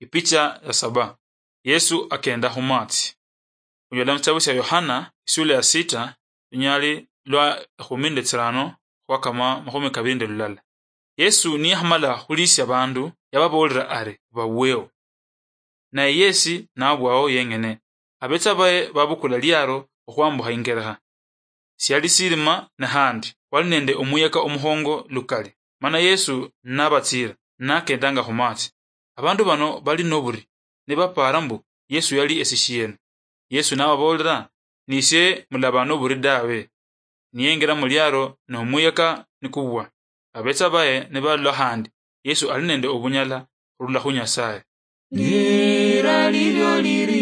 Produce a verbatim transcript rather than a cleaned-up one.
Ipicha ya saba. Yesu akenda khumatsi. Khunyola mushitabu shia Yohana, isula ya sita, lunyali lwa ekhumi nende tsirano khwakama makhumi kabili nende lulala. Yesu niyakhamala khulisia abandu, yababoolera ari, "Baweo." Naye yesi nabwao yeng'ene. Abetsa baye babukula liaro okhwambukha ingerekha. Siali silima nahandi, khwali nende omuyeka omukhongo lukali. Mana Yesu nabatsiira, nakendanga khumatsi. Abandu bano bali noburi, nibapaara mbu Yesu yali esishieno. Yesu nababoolera, "Nisie mulaba noburi dawe." Niyengira muliaro, nomuyeka nikubwa. Abetsa baye nibalola khandi Yesu ali nende obunyala khurula khu Nyasaye. Lira lilio liri